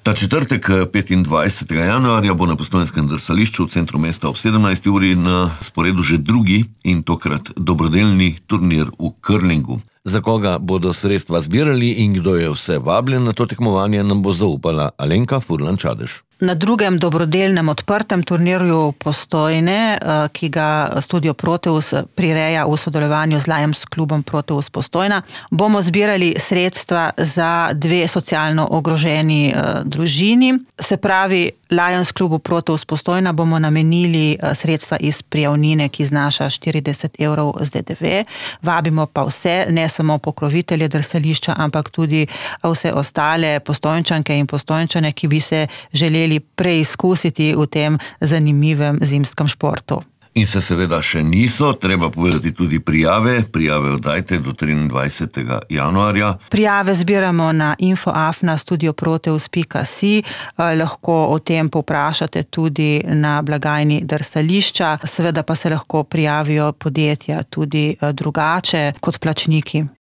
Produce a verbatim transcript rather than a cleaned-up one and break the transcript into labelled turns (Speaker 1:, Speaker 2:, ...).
Speaker 1: Ta četrtek, petindvajsetega januarja, bo na postojnskem drsališču v centru mesta ob sedemnajsti uri na sporedu že drugi in tokrat dobrodelni turnir v curlingu. Za koga bodo sredstva zbirali in kdo je vse vabljen na to tekmovanje, nam bo zaupala Alenka Furlan-Čadež.
Speaker 2: Na drugem dobrodelnem odprtem turnirju Postojne, ki ga Studio Proteus prireja v sodelovanju z Lions klubom Proteus Postojna, bomo zbirali sredstva za dve socialno ogroženi družini. Se pravi, Lions klubu Proteus Postojna bomo namenili sredstva iz prijavnine, ki znaša štirideset evrov z D D V. Vabimo pa vse, ne samo pokrovitelje drsališča, ampak tudi vse ostale Postojnčanke in Postojnčane, ki bi se želeli preizkusiti v tem zanimivem zimskem športu.
Speaker 1: In se seveda še niso, treba povedati tudi prijave. Prijave oddajte do triindvajsetega januarja.
Speaker 2: Prijave zbiramo na info afna studioproteus pika si. Lahko o tem povprašate tudi na blagajni drsališča. Seveda pa se lahko prijavijo podjetja tudi drugače kot plačniki.